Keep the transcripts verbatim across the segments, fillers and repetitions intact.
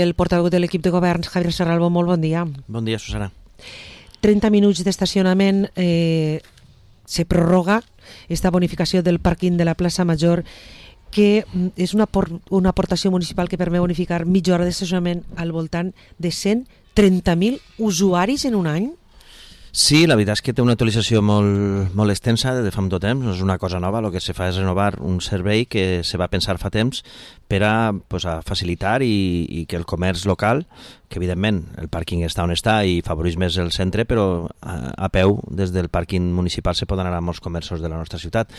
El portaveu de l'equip de governs, Javier Serralbo, molt bon dia. Bon dia, Susana. trenta minuts d'estacionament, eh, se prorroga esta bonificació del pàrquing de la plaça Major, que és una, por, una aportació municipal que permet bonificar mitja hora d'estacionament al voltant de cent trenta mil usuaris en un any. Sí, la veritat és que té una actualització molt, molt extensa de fa molt temps, no és una cosa nova, el que se fa és renovar un servei que se va pensar fa temps per a, pues, a facilitar i, i que el comerç local, que evidentment el pàrquing està on està i favoreix més el centre, però a, a peu des del pàrquing municipal se poden anar a molts comerços de la nostra ciutat.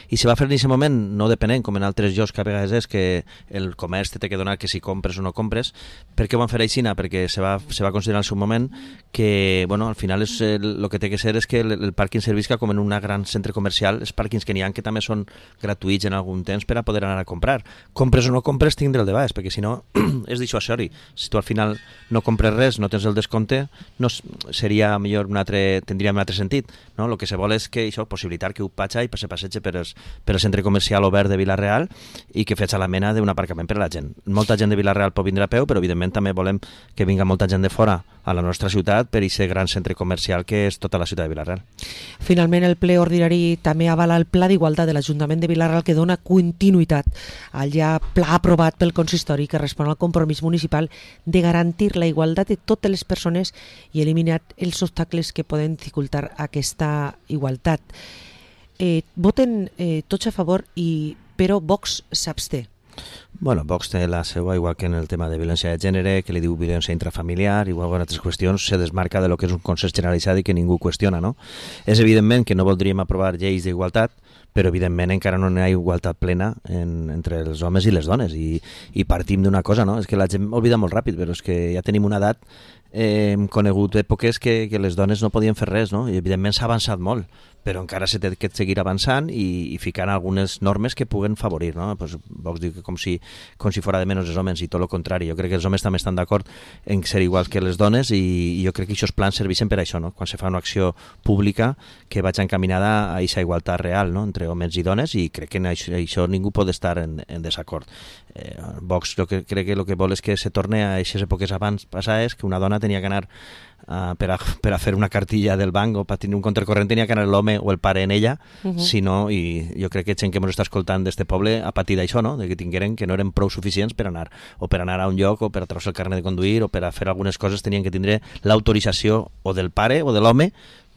I se va fer en aquest moment, no depenent, com en altres llocs que a vegades és que el comerç té que donar que si compres o no compres. Per què ho van fer així? Perquè se va, se va considerar en el seu moment que, bueno, al final és el el que té que ser és que el, el pàrquing servisca com en un gran centre comercial, els pàrquings que n'hi ha que també són gratuïts en algun temps per a poder anar a comprar. Compres o no compres, tindre el de baix, perquè si no és dissuasori. Si tu al final no compres res, no tens el descompte, no seria millor un altre, tindria un altre sentit, no? El que se vol és que això, possibilitar que un patxa i se passegi per, els, per el centre comercial obert de Vila-real i que fes a la mena d'un aparcament per a la gent. Molta gent de Vila-real pot vindre a peu, però evidentment també volem que vinga molta gent de fora a la nostra ciutat per aquest gran centre comercial que és tota la ciutat de Vila-real. Finalment, el ple ordinari també avala el Pla d'Igualtat de l'Ajuntament de Vila-real, que dona continuïtat al ja pla aprovat pel consistori que respon al compromís municipal de garantir la igualtat de totes les persones i eliminar els obstacles que poden dificultar aquesta igualtat. Eh, voten eh, tots a favor, i però Vox s'absté. Bueno, Vox té la seva, igual que en el tema de violència de gènere, que li diu violència intrafamiliar, igual que en altres qüestions, se desmarca de lo que és un consens generalitzat i que ningú qüestiona, no? És evidentment que no voldríem aprovar lleis d'igualtat, però evidentment encara no hi ha igualtat plena en, entre els homes i les dones, i, i partim d'una cosa, no? És que la gent oblida molt ràpid, però és que ja tenim una edat, eh, hem conegut èpoques que, que les dones no podien fer res, no? I evidentment s'ha avançat molt, però encara s'ha de seguir avançant i, i ficant algunes normes que puguen favorir, no? Pues Vox diu que com si, com si fora de menys els homes, i tot el contrari. Jo crec que els homes també estan d'acord en ser iguals que les dones, i, i jo crec que aquests plans serveixen per això, no? Quan se fa una acció pública que vaig encaminada a aquesta igualtat real, no? Entre homes i dones, i crec que en això, això ningú pot estar en, en desacord. Eh, Vox jo que, crec que el que vol és que se torne a aquestes èpoques abans passades, que una dona tenia que anar Uh, per, a, per a fer una cartilla del banc o per tenir un compte corrent tenia que anar l'home o el pare en ella, uh-huh. Si no, i jo crec que gent que ens està escoltant d'este poble ha patit això, no? De que tingueren que no eren prou suficients per anar, o per anar a un lloc, o per a treure el carnet de conduir, o per a fer algunes coses tenien que tindre l'autorització o del pare o de l'home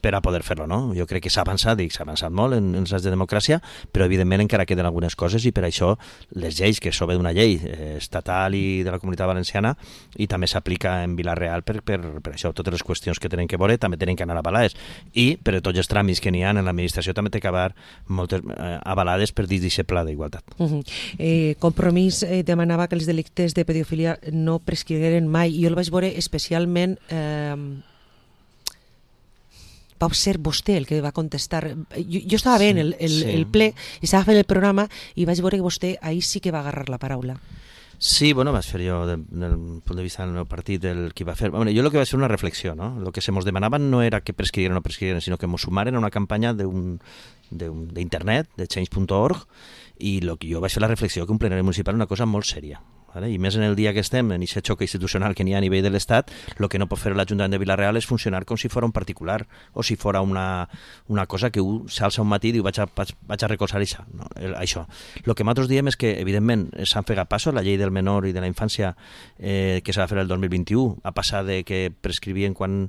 per a poder fer-lo, no? Jo crec que s'ha avançat, i s'ha avançat molt en, en els anys de democràcia, però evidentment encara queden algunes coses, i per això les lleis, que són d'una llei eh, estatal i de la Comunitat Valenciana, i també s'aplica en Vila-real per, per, per això, totes les qüestions que tenen que veure també tenen que anar avalades, i per tots els tràmits que n'hi ha en l'administració també té que haver moltes eh, avalades per dins d'aquest pla d'igualtat. Uh-huh. eh, Compromís eh, demanava que els delictes de pedofilia no prescrigueren mai, i jo el vaig veure especialment... Eh, va ser vostè el que va contestar. Jo, jo estava bé en el, el, sí. el ple, i estava fent el programa, i vaig veure que vostè ahir sí que va agarrar la paraula. Sí, bueno, vaig fer jo, del, del punt de vista del meu partit, el que va fer... Bueno, jo el que vaig fer una reflexió, no? El que se mos demanaven no era que prescrigueren o no prescrigueren, sinó que mos sumaren a una campanya d'internet, de change punt org, i lo que jo vaig fer la reflexió que un plenari municipal és una cosa molt sèria. ¿Vale? I més en el dia que estem, en aquest xoc institucional que n'hi ha a nivell de l'Estat, el que no pot fer l'Ajuntament de Vila-real és funcionar com si fos un particular, o si fos una, una cosa que un s'alça un matí i diu vaig a, vaig a recolzar això. No, això. El que nosaltres diem és que, evidentment, s'han fet passos, la llei del menor i de la infància eh, que s'ha de fer el dos mil vint-i-u, a passar de que prescrivien quan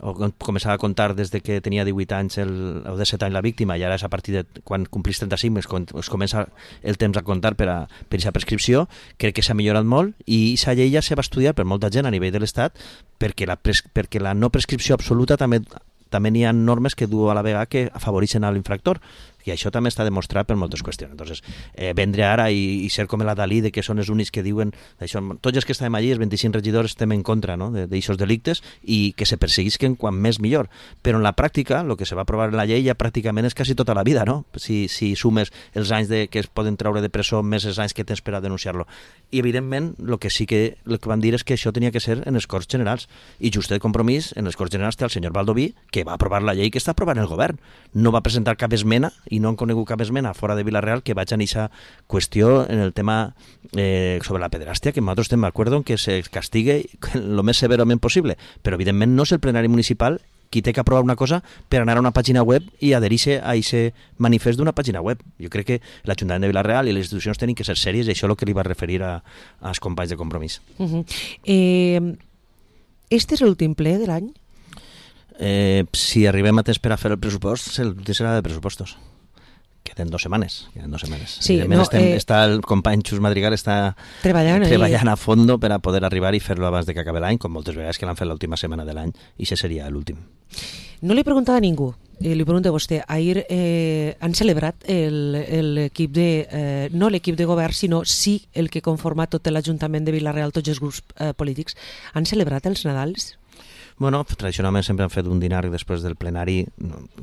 o començava a comptar des de que tenia divuit anys el, o disset anys la víctima, i ara és a partir de quan complís trenta-cinc es, es comença el temps a comptar per a per aquesta prescripció. Crec que s'ha millorat molt, i aquesta llei ja se va estudiar per molta gent a nivell de l'Estat, perquè la, pres, perquè la no prescripció absoluta també també n'hi ha normes que du a la vegada que afavoreixen a l'infractor, i això també està demostrat per moltes qüestions. Entonces, eh, vendre ara i, i ser com la Dalí, de que són els únics que diuen això, tots els que estem allí, els vint-i-cinc regidors, estem en contra, no?, d'aixòs delictes, i que se perseguisquen quan més millor. Però en la pràctica, el que se va aprovar en la llei ja pràcticament és quasi tota la vida, no? Si, si sumes els anys de, que es poden treure de presó més els anys que tens per a denunciar-lo. I evidentment, el que sí que, el que van dir és que això tenia que ser en els Corts Generals, i just el compromís en els Corts Generals té el senyor Baldoví, que va aprovar la llei que està aprovant el govern. No va presentar cap esmena i no han conegut cap esmena fora de Vila-real que vaig a aquesta qüestió en el tema eh, sobre la pederàstia, que nosaltres estem d'acord en que se castigue el més severament possible, però evidentment no és el plenari municipal qui té que aprovar una cosa per anar a una pàgina web i adherir-se a aquest manifest d'una pàgina web. Jo crec que l'Ajuntament de Vila-real i les institucions tenen que ser sèries, i això és el que li va referir a, als companys de Compromís. Uh -huh. eh, este és l'últim ple de l'any? Eh, si arribem a temps per a fer el pressupost, el serà de pressupostos. Queden dues setmanes, queden dues setmanes. Sí, no, estem, eh, està el company Xus Madrigal està treballant, treballant a fondo per a poder arribar i fer-lo abans de que acabi l'any, com moltes vegades que l'han fet l'última setmana de l'any, i això seria l'últim. No li he preguntat a ningú, eh, li pregunto a vostè. Ahir eh, han celebrat l'equip de, eh, no l'equip de govern, sinó sí el que conforma tot l'Ajuntament de Vila-real, tots els grups eh, polítics. Han celebrat els Nadals? Bueno, tradicionalment sempre han fet un dinar després del plenari.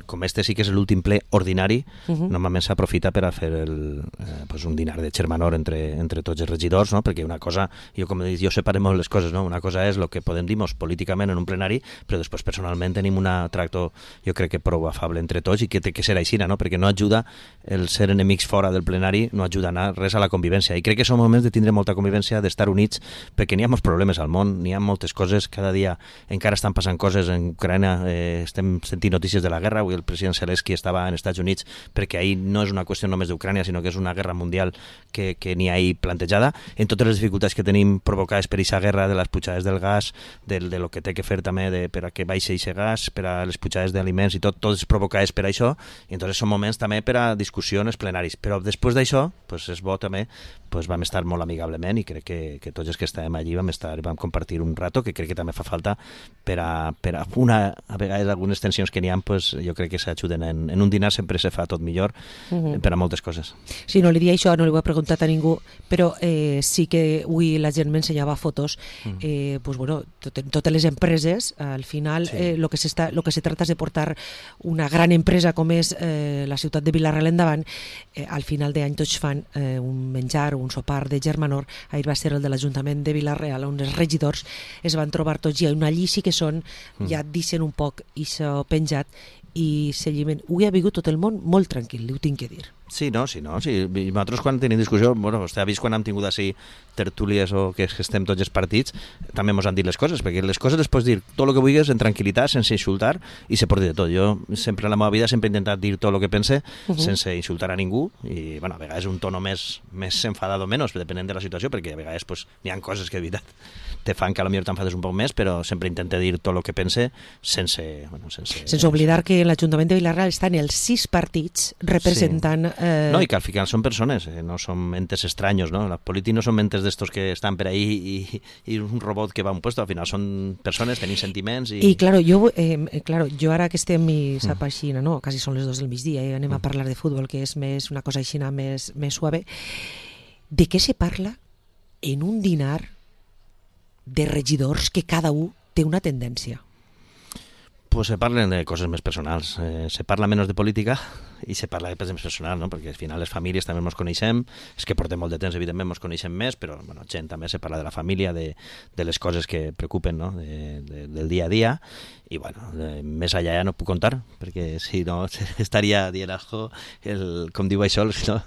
Com este sí que és l'últim ple ordinari, uh -huh. normalment s'aprofita per a fer el, eh, pues un dinar de xermanor entre, entre tots els regidors, no? Perquè una cosa, jo com he dit, jo separo molt les coses, no? Una cosa és el que podem dir políticament en un plenari, però després personalment tenim un tracto, jo crec que prou afable entre tots, i que té que ser així, no? Perquè no ajuda el ser enemics fora del plenari, no ajuda a anar res a la convivència. I crec que són moments de tindre molta convivència, d'estar units, perquè n'hi ha molts problemes al món, n'hi ha moltes coses, cada dia encara estan passant coses en Ucraïna, eh, estem sentint notícies de la guerra. Avui el president Zelensky estava en Estats Units, perquè ahir no és una qüestió només d'Ucrània, sinó que és una guerra mundial que, que n'hi ha ahir plantejada, en totes les dificultats que tenim provocades per aquesta guerra, de les pujades del gas, de, de lo que té que fer també de, per a que baixi aquest gas, per a les pujades d'aliments i tot, tot és provocades per això, i entonces són moments també per a discussions plenaris. Però després d'això, pues és bo també, pues vam estar molt amigablement, i crec que, que tots els que estàvem allí vam estar, vam compartir un rato que crec que també fa falta per a, per a una, a vegades algunes tensions que n'hi ha, pues, jo crec que s'ajuden. En, en un dinar sempre se fa tot millor, uh -huh. per a moltes coses. Sí, no li dia això, no li ho he preguntat a ningú, però eh, sí que avui la gent m'ensenyava fotos, eh, pues, bueno, tot, totes les empreses, al final, sí. eh, lo, que s'està, lo que se trata és de portar una gran empresa com és eh, la ciutat de Vila-real endavant. Eh, al final d'any tots fan eh, un menjar, un sopar de germanor. Ahir va ser el de l'Ajuntament de Vila-real, on els regidors es van trobar tots, i una allí sí que són, ja deixen un poc i s'ha penjat i seguiment. Ho ha vingut tot el món molt tranquil, li ho tinc que dir. Sí, no, sí, no. Sí. I nosaltres quan tenim discussió, bueno, vostè ha vist quan hem tingut així tertúlies o que estem tots els partits, també ens han dit les coses, perquè les coses les pots dir tot el que vulguis en tranquil·litat, sense insultar, i se pot dir de tot. Jo sempre en la meva vida sempre he intentat dir tot el que pense, uh -huh. sense insultar a ningú, i bueno, a vegades un tono més, més enfadat o menys, depenent de la situació, perquè a vegades pues, n'hi ha coses que de veritat te fan que potser t'enfades un poc més, però sempre intento dir tot el que pense sense... Bueno, sense, sense oblidar que l'Ajuntament de Vila-real estan els sis partits representant... Sí. Eh... No, i que al final són persones, eh, no són mentes estranyos, no? Els polítics no són mentes d'estos que estan per ahí i, i un robot que va a un puesto, al final són persones, tenim sentiments i... I claro, jo, eh, claro, jo ara que estem i sap mm. així, no? Quasi són les dos del migdia i anem mm. a parlar de futbol, que és més una cosa així més, més suave. De què se parla en un dinar de regidors que cada un té una tendència? Pues se parlen de coses més personals. Eh, se parla menys de política i se parla de coses més personals, no? Perquè al final les famílies també ens coneixem, és que portem molt de temps, evidentment ens coneixem més, però bueno, gent també se parla de la família, de, de les coses que preocupen, no? de, de, del dia a dia, i bueno, de, més allà ja no puc contar, perquè si no estaria dient algo, el, com diu això, no?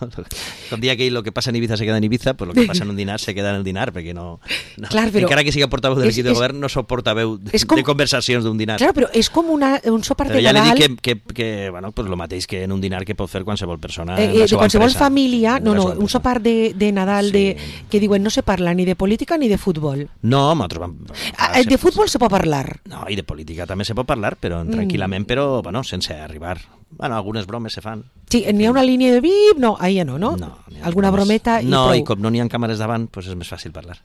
Com dia que el que passa en Ibiza se queda en Ibiza, pues el que passa en un dinar se queda en el dinar, perquè no... no clar, però encara que siga portaveu de l'equip de govern, no sóc portaveu de, com, de conversacions d'un dinar. Clar, però és com una, un sopar de Nadal... Però ja Nadal... li dic que, que, que bueno, pues lo mateix que en un dinar que pot fer qualsevol persona eh, eh, de qualsevol empresa, família, no, no, un sopar de, de Nadal sí. de, que diuen no se parla ni de política ni de futbol. No, nosaltres vam... Ah, de futbol se pot parlar. No, i de política també se pot parlar, però mm. tranquil·lament, però bueno, sense arribar... Bueno, algunes bromes se fan. Sí, n'hi ha una línia de bip, no, ahí ja no, no? No. Alguna brometa i no, prou. No, i com no n'hi ha càmeres davant, pues és més fàcil parlar.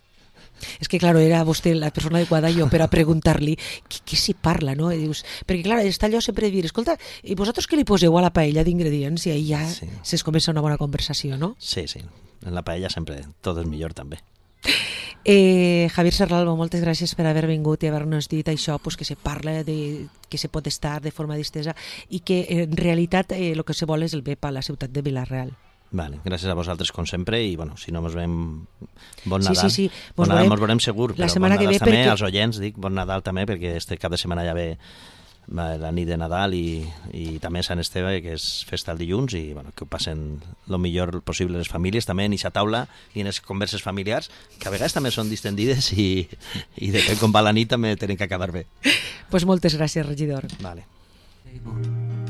És que, claro, era vostè la persona adequada jo per a preguntar-li què, què s'hi parla, no? I dius, perquè, clar, està allò sempre de dir, escolta, i vosaltres què li poseu a la paella d'ingredients? I ahí ja sí. es comença una bona conversació, no? Sí, sí, en la paella sempre tot és millor, també. Eh, Javier Serralbo, moltes gràcies per haver vingut i haver-nos dit això, pues, que se parla de, que se pot estar de forma distesa i que en realitat el eh, que se vol és el bé per a la ciutat de Vila-real. Vale, gràcies a vosaltres com sempre i bueno, si no mos veiem bon Nadal, sí, sí, sí. Bon Nadal mos veurem segur, la però setmana bon Nadal que ve també perquè... als oients, dic bon Nadal també perquè este cap de setmana ja ve la nit de Nadal i, i també Sant Esteve, que és festa el dilluns, i bueno, que ho passen el millor possible les famílies, també en aquesta taula i en les converses familiars, que a vegades també són distendides i, i depèn com va la nit també tenen que acabar bé. Pues moltes gràcies, regidor. Vale.